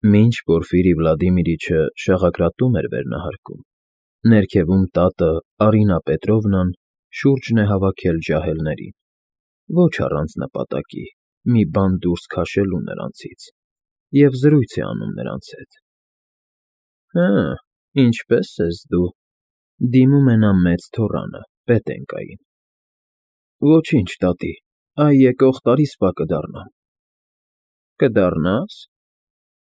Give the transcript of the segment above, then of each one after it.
Մինչ Պորֆիրի Վլադիմիրիչը շաղակրատում էր վերնահարկում, ներքևում տատը Արինա Պետրովնան շուրջն է հավաքել ջահելներին, ոչ առանց նպատակի, մի բան դուրս քաշելու նրանցից, և զրույց է անում նրանց հետ։ Հը, ինչպե՞ս ես դու, դիմում է նա մեծ թոռանը, Պետենկային։ Ոչինչ, տատի, այ եկող տարի սպա կդառնամ։ Կդառնա՞ս։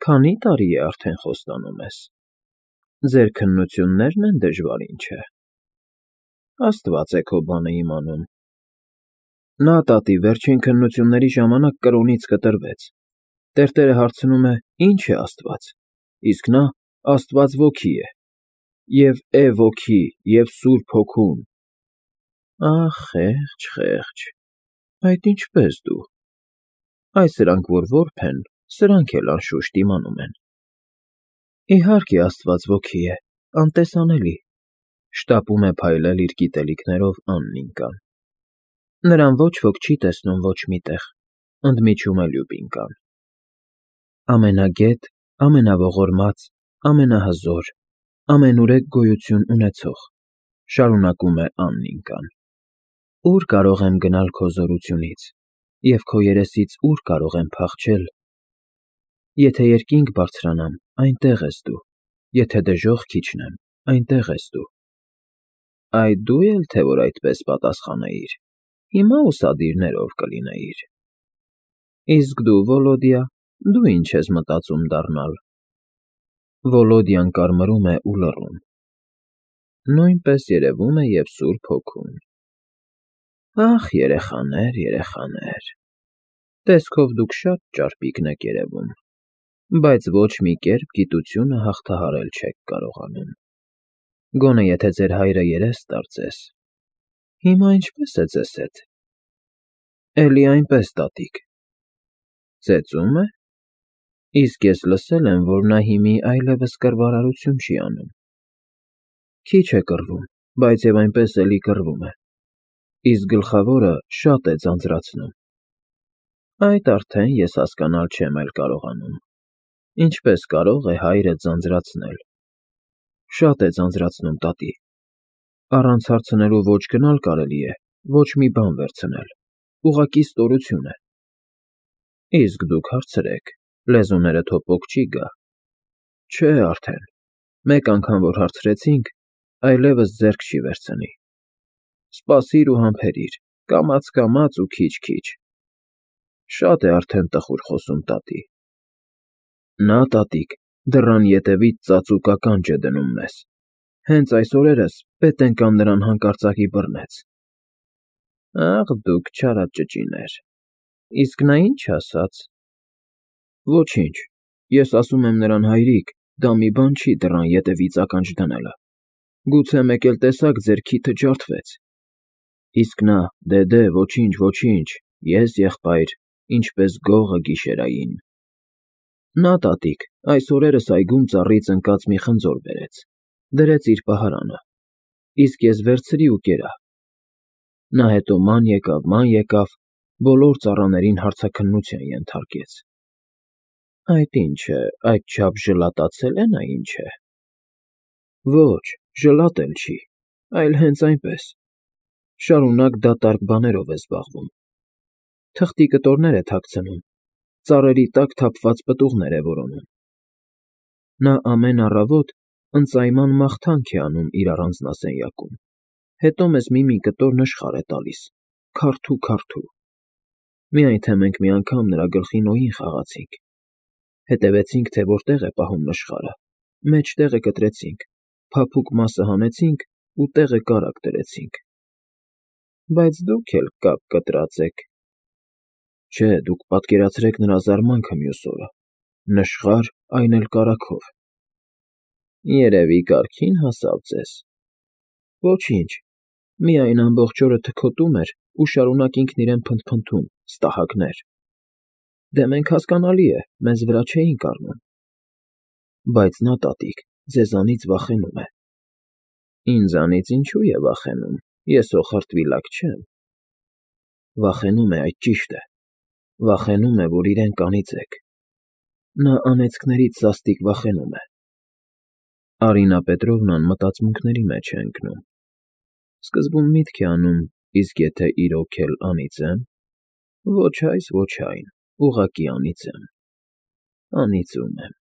Քանի՞ տարի է արդեն խոստանում ես։ Ձեր քննություններն են դժվար, ինչ է։ Աստված է քո բանը իմանում։ Նա, տատի, վերջին քննությունների ժամանակ կրոնից կտրվեց։ Տերտերը հարցնում է. «Ի՞նչ է Աստված», իսկ նա «Աստված ոգի է, և է ոգի, և Սուրբ Հոգուն»։ Ահ, խեղճ, խեղճ, այդ ինչպե՞ս դու։ Այ սրանք, որ որբ են, սրանք էլ անշուշտ իմանում են։ Իհարկե, Աստված ոգի է, անտեսանելի, շտապում է փայլել իր գիտելիքներով Աննիկան։ Նրան ոչ ոք չի տեսնում ոչ մի տեղ, ընդմիջում է Լյուբինկան։ Ամենագետ, ամենաողորմած, ամենահզոր, ամենուրեք գոյություն ունեցող, շարունակում է Աննիկան։ Ուր կարող եմ գնալ քո զորությունից, և քո երեսից ուր կարող եմ փախչել։ Եթե երկինք բարձրանամ, այնտեղ ես դու, եթե դժոխք իջնեմ, այնտեղ ես դու։ Այ դու էլ թե որ այդպես պատասխանեիր, հիմա ուսադիրներով կլինեիր։ Իսկ դու, Վոլոդյա, դու ինչ ես մտածում դառնալ։ Վոլոդյան կարմրում է ու լռում։ Նույնպես երևում է և Սուրբ Հոգուն։ Ախ, երեխաներ, երեխաներ, տեսքով դուք շատ ճարպիկն եք երևում, բայց ոչ մի կերպ գիտությունը հաղթահարել չեք կարողանում։ Գոնե եթե ձեր հայրը երես ստարծես։ Հիմա ինչպե՞ս է ձեզ հետ։ Էլի այնպես, տատիկ։ Ծեծում է։ Իսկ ես լսել եմ, որ նա հիմի այլևս կռվարարություն չի անում։ Քիչ է կռվում, բայց և այնպես էլի կռվում է։ Իսկ գլխավորը շատ է ձանձրացնում։ Այդ արդեն ես հասկանալ չեմ էլ կարողանում։ Ինչպես կարող է հայրը ձանձրացնել։ Շատ է ձանձրացնում, տատի։ Առանց հարցնելու ոչ գնալ կարելի է, ոչ մի բան վերցնել, ուղղակի ստորություն է։ Իսկ դուք հարցրեք, լեզուներդ հոպոկ չի գա։ Չէ արդեն, մեկ անգամ որ հարցրեցինք, այլևս ձեռք չի վերցնի։ Սպասիր ու համբերիր, կամաց ու քիչ։ Շատ է արդեն տխուր խոսում, տատի։ Նա, տատիկ, դռան ետևից ծածուկ ականջ է դնում մեզ։ Հենց այս օրերս Պետենկան նրան հանկարծակի բռնեց։ Ախ, դուք չարաճճիներ։ Իսկ նա ինչ ասաց։ Ոչինչ, ես ասում եմ նրան, հայրիկ, դա մի բան չի դռան ետևից ականջ դնելը։ Գուցե մեկ էլ տեսաք ձեր քիթը ջարդվեց։ Իսկ նա, դե, ոչինչ, ես եղբայր, ինչպես գողը գիշերային։ Նա, տատիկ, այս օրերս այգում ծառից ընկած մի խնձոր բերեց, դրեց իր պահարանը, իսկ ես վերցրի ու կերա։ Նա հետո ման եկավ, բոլոր ծառաներին հարցաքննության ենթարկեց։ Այդ ինչ է, այդչափ ժլատացել է նա, ինչ է։ Ոչ, ժլատել չի, այլ հենց այնպես։ Շարունակ դատարկ բաներով է զբաղվում։ Թղթի կտորներ է թաքցնում, ծառերի տակ թափված պտուղներ է որոնում։ Նա ամեն առավոտ ընծայման մաղթանք է անում իր առանձնասենյակում, հետո մեզ մի կտոր նշխար է տալիս, քարթու։ Միայն թե մենք մի անգամ նրա գլխին օին խաղացինք։ Հետևեցինք, թե որտեղ է պահում նշխարը, մեջտեղը կտրեցինք, փափուկ մասը հանեցինք ու տեղը կարագ դրեցինք։ Բայց դուք էլ կապ կտրած եք։ Չէ, դուք պատկերացրեք նրա զարմանքը մյուս օրը, նշխար, այն էլ կարագով։ Երևի կարգին հասավ ձեզ։ Ոչինչ, միայն ամբողջ օրը թքոտում էր ու շարունակ ինքն իրեն փնթփնթում, ստահակներ։ Դե մենք հասկանալի է, մեզ վրա չէինք առնում։ Բայց նա, տատիկ, ձեզանից վախենում է։ Ինձանից ինչու է վախենում, ես օղրտվիլակ չեմ։ Վախենում է, այդ ճիշտ է։ Վախենում է, որ իրեն կանիծեք։ Նա անեծքներից սաստիկ վախենում է։ Արինա Պետրովնան մտածմունքների մեջ է ընկնում։ Սկզբում միտք է անում, իսկ եթե իրոք էլ անիծեմ, ոչ այս, ոչ այն, ուղղակի անիծեմ, անիծում եմ։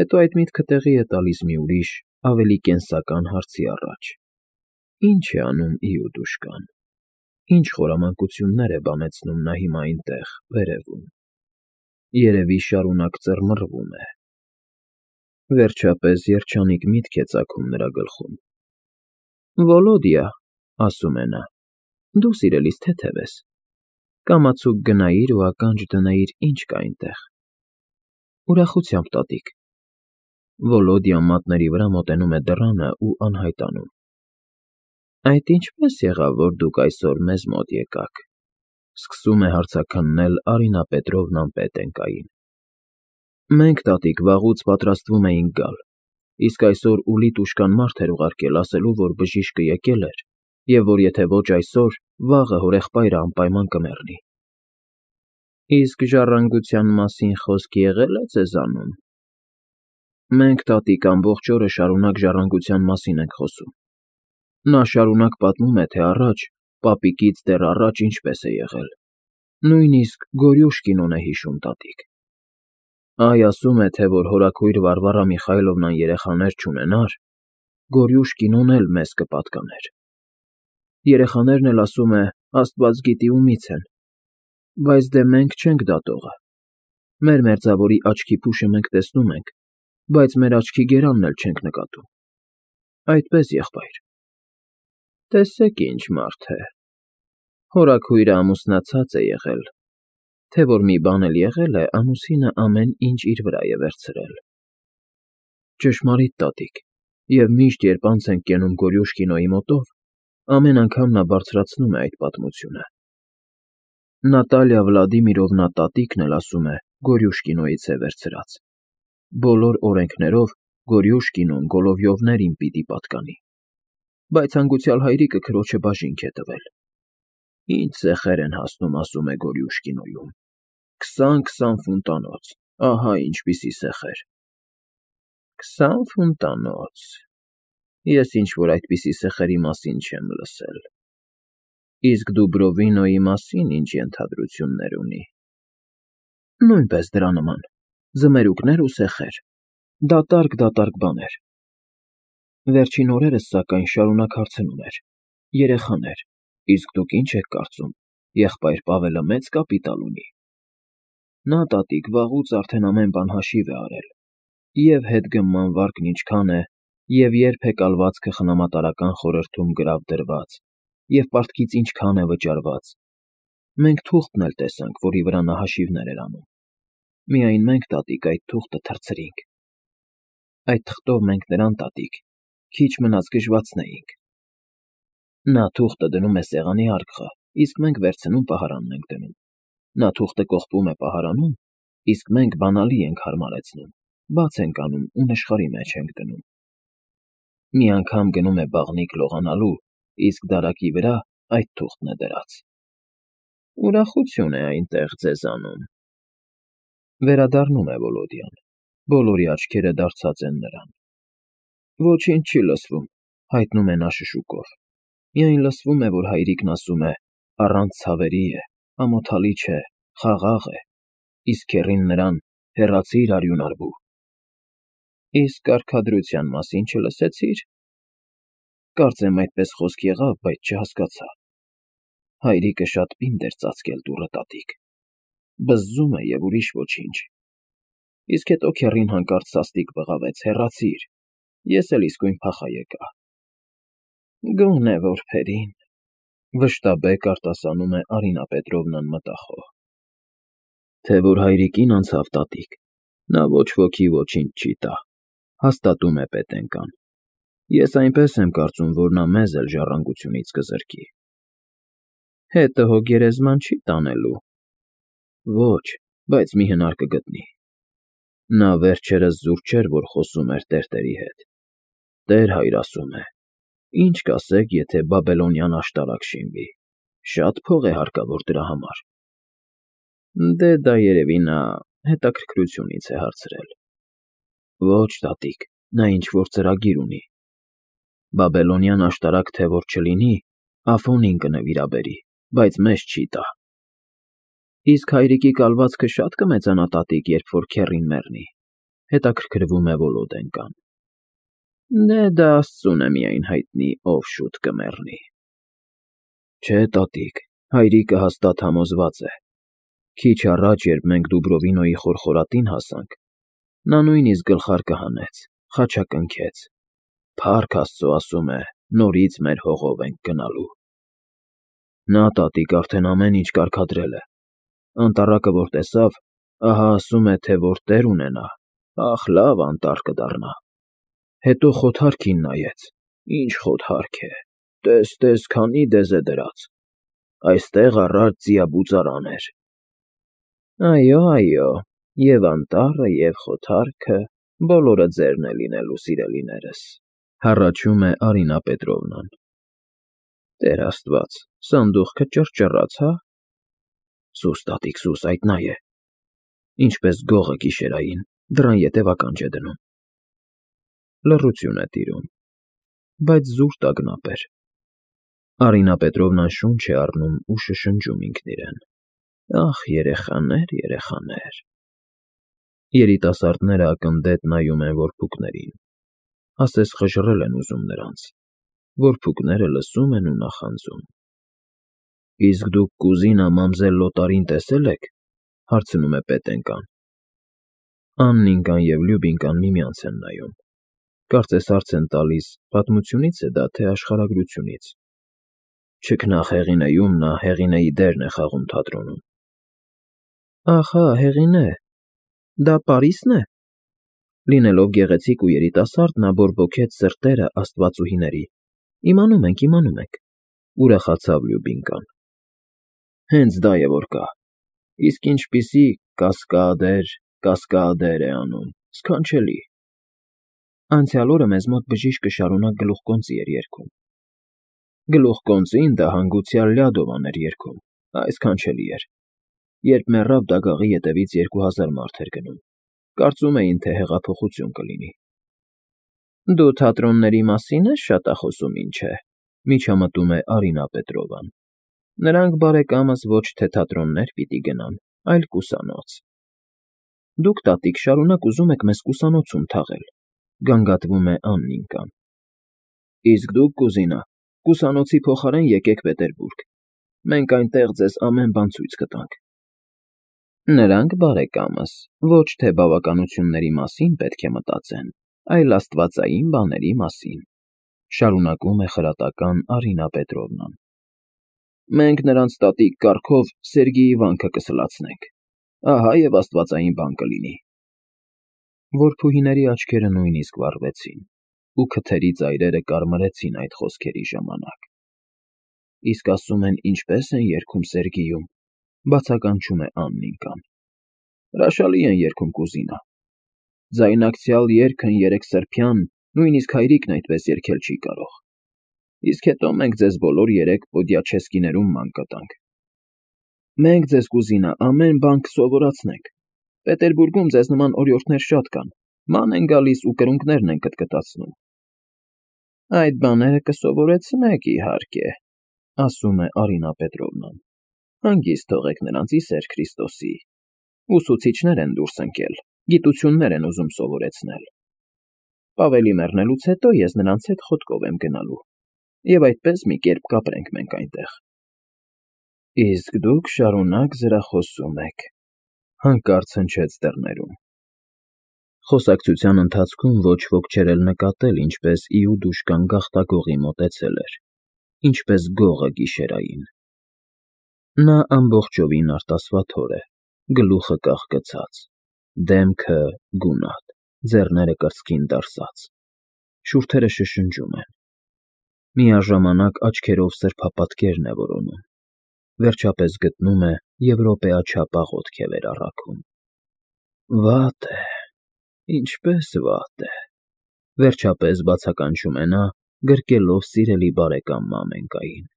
Հետո այդ միտքը տեղի է տալիս մի ուրիշ, ավելի կենսական հարցի առաջ. ինչ է անում Իուդուշկան, ինչ խորամանկություններ է բանեցնում նա հիմա այնտեղ, վերևում, երևի շարունակ ծռմռվում է։ Վերջապես երջանիկ միտք է ծագում նրա գլխում։ Վոլոդիա, ասում է նա, դու սիրելիս թեթև ես, կամացուկ գնայիր ու ականջ դնեիր, ինչ կա այնտեղ։ Ուրախությամբ, տատիկ։ Վոլոդիան մատների վրա մոտենում է դռանը ու անհայտանում։ Այդ ինչպես եղավ, որ դուք այսօր մեզ մոտ եկաք, սկսում է հարցաքննել Արինա Պետրովնան Պետենկային։ Մենք, տատիկ, վաղուց պատրաստվում էինք գալ, իսկ այսօր Ուլիտուշկան մարդ էր ուղարկել ասելու, որ բժիշկը եկել էր, և որ եթե ոչ այսօր, վաղը հորեղբայրը անպայման կմեռնի։ Իսկ ժառանգության մասին խոսք եղե՞լ է ձեզանում։ Մենք, տատիկ, ամբողջ օրը շարունակ ժառանգության մասին ենք խոսում։ Նա շարունակ պատմում է, թե առաջ, պապիկից դեռ առաջ ինչպես է եղել։ Նույնիսկ Գորյուշկինոն է հիշում, տատիկ։ Այ ասում է, թե որ հորաքույր Վարվարա Միխայլովնան երեխաներ չունենար, Գորյուշկինոն էլ մեզ կպատկաներ։ Երեխաներն էլ, ասում է, Աստված գիտի ումից են, բայց դե մենք չենք դատողը։ Մեր մերձավորի աչքի փուշը մենք տեսնում ենք, բայց մեր աչքի գերանն էլ չենք նկատում։ Այդպես, եղբայր։ Տեսեք ինչ մարդ է։ Հորաքույրը ամուսնացած է եղել, թե որ մի բան էլ եղել է, ամուսինը ամեն ինչ իր վրա է վերցրել։ Ճշմարիտ, տատիկ, և միշտ, երբ անց ենք կենում Գորյուշկինոյի մոտով, ամեն անգամ նա բարձրացնում է այդ պատմությունը։ Նատալիա Վլադիմիրովնա տատիկն էլ ասում է, Գորյուշկինոյից է վերցրած։ Բոլոր օրենքներով Գորյուշկինոն Գոլովյովներին պիտի պատկանի, բայց հանգուցյալ հայրիկը քրոջը բաժինք է տվել։ Ինչ սեխեր են հասնում, ասում է Գորյուշկինոյում։ 20 ֆունտանոց, ահա ինչպիսի սեխեր։ 20 ֆունտանոց։ Ես ինչ-որ այդպիսի սեխերի մասին չեմ լսել։ Իսկ Դուբրովինոյի մասին ինչ ենթադրություններ ունի։ Նույնպես դրա նման, ձմերուկներ ու սեխեր, դատարկ բաներ։ Վերջին օրերս, սակայն, շարունակ հարցնում էր. երեխաներ, իսկ դուք ինչ եք կարծում, եղբայր Պավելը մեծ կապիտալ ունի։ Նա, տատիկ, վաղուց արդեն ամեն բան հաշիվ է արել, և հետգմման վարկն ինչքան է, և երբ է կալվածքը խնամատարական խորհրդում գրավ դրված, և պարտքից ինչքան է վճարված։ Մենք թուղթն էլ տեսանք, որի վրա նա հաշիվներ էր անում։ Միայն մենք, տատիկ, այդ թուղթը թռցրինք։ Այդ թղթով մենք նրան, տատիկ, քիչ մնաց գժվացնեինք։ Նա թուղթը դնում է սեղանի արկղը, իսկ մենք վերցնում պահարանն ենք դնում։ Նա թուղթը կողպում է պահարանում, իսկ մենք բանալի ենք հարմարեցնում, բաց ենք անում ու նշխարի մեջ ենք դնում։ Մի անգամ գնում է բաղնիք լողանալու, իսկ դարակի վրա այդ թուղթն է դրած։ Ուրախություն է այնտեղ ձեզանում։ Վերադառնում է Վոլոդյան։ Բոլորի աչքերը դարձած են նրան։ Ոչինչ չի լսվում, հայտնում է նա շշուկով։ Միայն լսվում է, որ հայրիկն ասում է. առանց ցավերի է, ամոթալի չէ, խաղաղ է, իսկ քեռին նրան հեռացիր արյունարբու։ Իսկ կարգադրության մասին չլսեցի՞ր։ Կարծեմ այդպես խոսք եղավ, բայց չհասկացա։ Հայրիկը շատ պինդ էր ծածկել դուռը, տատիկ։ Բզզում է և ուրիշ ոչինչ։ Իսկ հետո քեռին հանկարծ սաստիկ բղավեց. հեռացիր, ես էլ իսկույն փախա եկա։ Գոնե որբերին, վշտաբեկ արտասանում է Արինա Պետրովնան մտախոհ։ Թե որ հայրիկին անցավ, տատիկ, նա ոչ ոքի ոչինչ չի տա, հաստատում է Պետենկան։ Ես այնպես եմ կարծում, որ նա մեզ էլ ժառանգությունից կզրկի։ Հետը հո գերեզման չի տանելու։ Ոչ, բայց մի հնար կգտնի։ Նա վերջերս զուր չէր, որ խոսում էր տերտերի հետ։ Տեր-հայր ասում է. ինչ կասեք, եթե բաբելոնյան աշտարակ շինվի, շատ փող է հարկավոր դրա համար։ Դե դա երևի նա հետաքրքրությունից է հարցրել։ Ոչ, տատիկ, նա ինչ-որ ծրագիր ունի։ Բաբելոնյան աշտարակ թե որ չլինի, Աֆոնին կնվիրաբերի, բայց մեզ չի տա։ Իսկ հայրիկի կալվածքը շատ կմեծանա, տատիկ, երբ որ քեռին մեռնի, հետաքրքրվում է Վոլոդենկան։ Դե դա Աստծուն է միայն հայտնի, ով շուտ կմեռնի։ Չէ, տատիկ, հայրիկը հաստատ համոզված է։ Քիչ առաջ, երբ մենք Դուբրովինոյի խորխորատին հասանք, նա նույնիսկ գլխարկը հանեց, խաչակնքեց։ Փառք Աստծո, ասում է, նորից մեր հողով ենք գնալու։ Նա, տատիկ, արդեն ամեն ինչ կարգադրել է։ Անտառակը որ տեսավ, ահա ասում է, թե որ տեր ունենա, ախ, լավ անտառ կդառնա։ Հետո խոթարքին նայեց, ինչ խոթարք է, տես, քանի դեզ է դրած։ Այստեղ առաջ ձիաբուծարան էր։ Այո, և անտառը, և խոթարքը, բոլորը ձերն է լինելու, սիրելիներս, հառաչում է Արինա Պետրովնան։ Տեր Աստված, սանդուղքը ճռճռաց, հա։ Սուս, տատիկ, սուս, այդ նա է։ Ինչպես գողը գիշերային, դռան ետև ականջ է դնում։ Լռություն է տիրում, բայց զուր տագնապ էր։ Արինա Պետրովնան շունչ է առնում ու շշնջում ինքն իրեն. Ախ, երեխաներ։ Երիտասարդները ակնդետ նայում են որբուքներին, ասես խժռել են ուզում նրանց, որբուքները լսում են ու նախանձում։ Իսկ դուք կուզինա մամզել Լոտարին տեսել եք, հարցնում է Պետենկան։ Աննինկան և Լյուբինկան միմյանց են նայում, կարծես հարց են տալիս պատմությունից է դա, թե աշխարհագրությունից։ Չքնաղ Հեղինեում նա Հեղինեի դերն է խաղում թատրոնում։ Ահա, Հեղինե, դա Պարիսն է։ Լինելով գեղեցիկ ու երիտասարդ, նա բորբոքեց սրտերը աստվածուհիների։ Իմանում ենք, ուրախացավ Լյուբինկան։ Հենց դա է որ կա։ Իսկ ինչպիսի կասկադեր է անում, սքանչելի։ Անցյալ օրը մեզ մոտ բժիշկը շարունակ գլուխկոնծի էր երգում։ Գլուխկոնծին դա հանգուցյալ Լյադովան էր երգում, այսքանչելի էր։ Երբ մեռավ, դագաղի ետևից 2000 մարդ էր գնում։ Կարծում էին, թե հեղափոխություն կլինի։ Դու թատրոնների մասին ես շատ խոսում, ինչ է, միջամտում է Արինա Պետրովան։ Նրանք բարեկամս ոչ թե թատրոններ պիտի գնան, այլ կուսանոց։ Դուք, տատիկ, շարունակ ուզում եք մեզ կուսանոցում թաղել, գանգատվում է Աննինկան։ Իսկ դուք, կուզինա, կուսանոցի փոխարեն եկեք Պետերբուրգ։ Մենք այնտեղ ձեզ ամեն բան ցույց կտանք։ Նրանք բարեկամս ոչ թե բավականությունների մասին պետք է մտածեն, այլ աստվածային բաների մասին, շարունակում է խրատական Արինա Պետրովնան։ Մենք նրանց տատիկ կառքով Սերգեյի վանքը կսլացնենք, ահա և աստվածային բան կլինի։ Որբուհիների աչքերը նույնիսկ վառվեցին, ու քթերի ծայրերը կարմրեցին այդ խոսքերի ժամանակ։ Իսկ ասում են ինչպես են երգում Սերգեյում, բացականչում է Աննինկան։ Հրաշալի են երգում, կուզինա։ Ձայնակցյալ երգն երեքսրբյան, նույնիսկ հայրիկն այդպես երգել չի կարող։ Իսկ հետո մենք ձեզ բոլոր երեք Պոդիաչեսկիներում ման կտանք։ Մենք ձեզ, կուզինա, ամեն բան կսովորացնենք։ Պետերբուրգում ձեզ նման օրիորդներ շատ կան, ման են գալիս ու կրունկներն են կտկտացնում։ Այդ բաները կսովորեցնեք, իհարկե, ասում է Արինա Պետրովնան։ Հանգիստ թողեք նրանց, ի սեր Քրիստոսի։ Ուսուցիչներ են դուրս ընկել, գիտություններ են ուզում սովորեցնել։ Պավելի մեռնելուց հետո ես նրանց հետ խոտկով եմ գնալու, և այդպես մի կերպ կապրենք մենք այնտեղ։ Իսկ դուք շարունակ զրախոսում եք, հանկարծ հնչեց դռներում։ Խոսակցության ընթացքում ոչ ոք չէր էլ նկատել, ինչպես Իուդուշկան գաղտագողի մոտեցել էր, ինչպես գողը գիշերային։ Նա ամբողջովին արտասվաթոր է, գլուխը կախկցած, դեմքը գունատ, ձեռները կրծքին դարսած, շուրթերը շշնջում են։ Միաժամանակ աչքերով սրբապատկերն է որոնում, վերջապես գտնում է եվրոպեաչափ աղոթք է վերառաքում։ Վատ է, ինչպես վատ է, վերջապես բացականչում է նա, գրկելով սիրելի բարեկամ Մամենկային։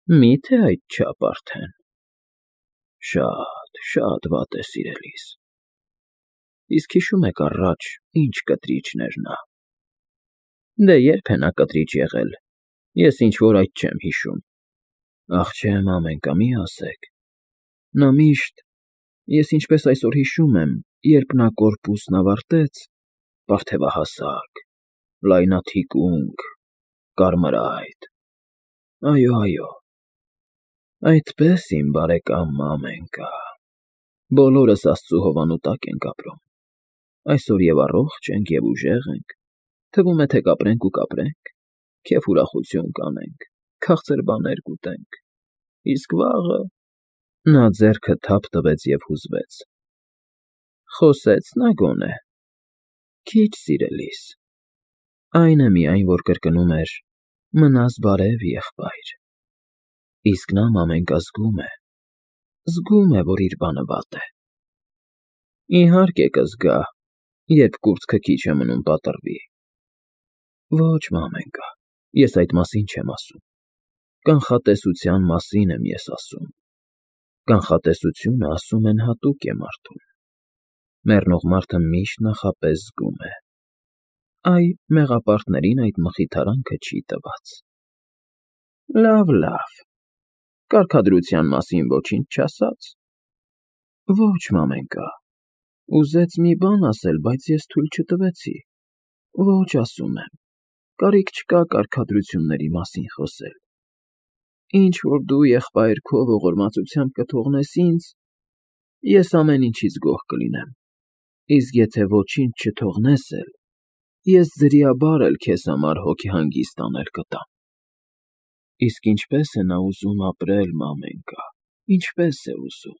Մի՞թե այդչափ արդեն։ Շատ, շատ վատ է, սիրելիս։ Իսկ հիշում եք առաջ ինչ կտրիչն էր նա։ Դե երբ է նա կտրիչ եղել, ես ինչ֊որ այդ չեմ հիշում։ Ախ չեմ, մամենկա, մի ասեք։ Նա միշտ, ես ինչպես այսօր հիշում եմ, երբ նա կորպուսն ավարտեց, բարդևահասակ, լայնաթիկունք, կարմրայթ, այո, այդպես իմ բարեկամ մամենկա, բոլորս աստծու հովանու տակ ենք ապրում, այսօր և առողջ ենք, և ուժեղ ենք, թվում է, թե կապրենք ու կապրենք, քեֆ ուրախություն կանենք, քաղցր բաներ կուտենք, իսկ վաղը… Նա ձեռքը թափ տվեց և հուզվեց։ Խոսե՞ց նա գոնե։ Քիչ, սիրելիս։ Այն է միայն, որ կրկնում էր. «Մնաս բարև, եղբայր»։ Իսկ նա, մամենկա, զգում է, որ իր բանը վատ է։ Իհարկե կզգա, երբ կուրծքը քիչ է մնում պատռվի։ Ոչ, մամենկա, ես այդ մասին չեմ ասում, կանխատեսության մասին եմ ես ասում։ Կանխատեսությունը, ասում են, հատուկ է մարդուն։ Մեռնող մարդը միշտ նախապես զգում է։ Այ, մեղապարտներին այդ մխիթարանքը չի տված։ Լավ, կարգադրության մասին ոչինչ չասա՞ց։ Ոչ, մամենկա, ուզեց մի բան ասել, բայց ես թույլ չտվեցի։ Ոչ, ասում եմ, կարիք չկա կարգադրությունների մասին խոսել։ Ինչ որ դու, եղբայր, քո ողորմածությամբ կթողնես ինձ, ես ամեն ինչից գոհ կլինեմ, իսկ եթե ոչինչ չթողնես էլ, ես ձրիաբար էլ քեզ համար հոգեհանգիստ անել կտամ։ Իսկ ինչպե՞ս է նա ուզում ապրել, մամենկա, ինչպե՞ս է ուզում։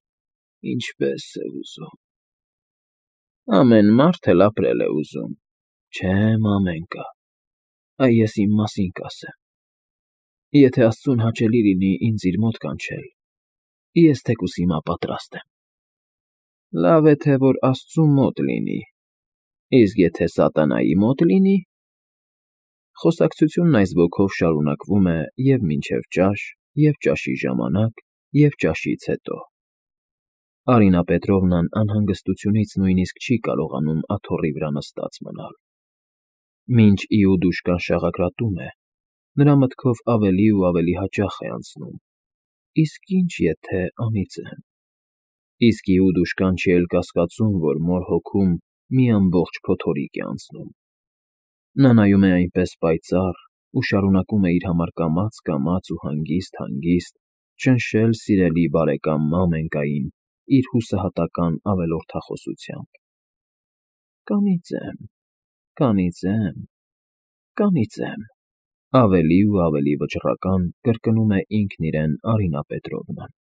Ամեն մարդ էլ ապրել է ուզում, չէ՞, մամենկա, այ ես իմ մասին կասեմ. եթե աստծուն հաճելի լինի ինձ իր մոտ կանչել, ես թեկուզ հիմա պատրաստ եմ։ Լավ է, թե որ աստծու մոտ լինի, իսկ եթե սատանայի մոտ լինի… Խոսակցությունն այս ոգով շարունակվում է և՛ մինչև ճաշ, և՛ ճաշի ժամանակ, և՛ ճաշից հետո։ Արինա Պետրովնան անհանգստությունից նույնիսկ չի կարողանում աթոռի վրա նստած մնալ։ Մինչ Իուդուշկան շաղակրատում է, նրա մտքով ավելի ու ավելի հաճախ է անցնում. իսկ ինչ եթե անիծեմ… Իսկ Իուդուշկան չի էլ կասկածում, որ մոր հոգում մի ամբողջ փոթորիկ է անցնում։ Նա նայում է այնպես պայծառ ու շարունակում է իր համար կամաց ու հանգիստ ճնշել սիրելի բարեկամ մամենկային իր հուսահատական ավելորդախոսությամբ. Կանիծեմ, ավելի ու ավելի վճռական կրկնում է ինքն իրեն Արինա Պետրովնան։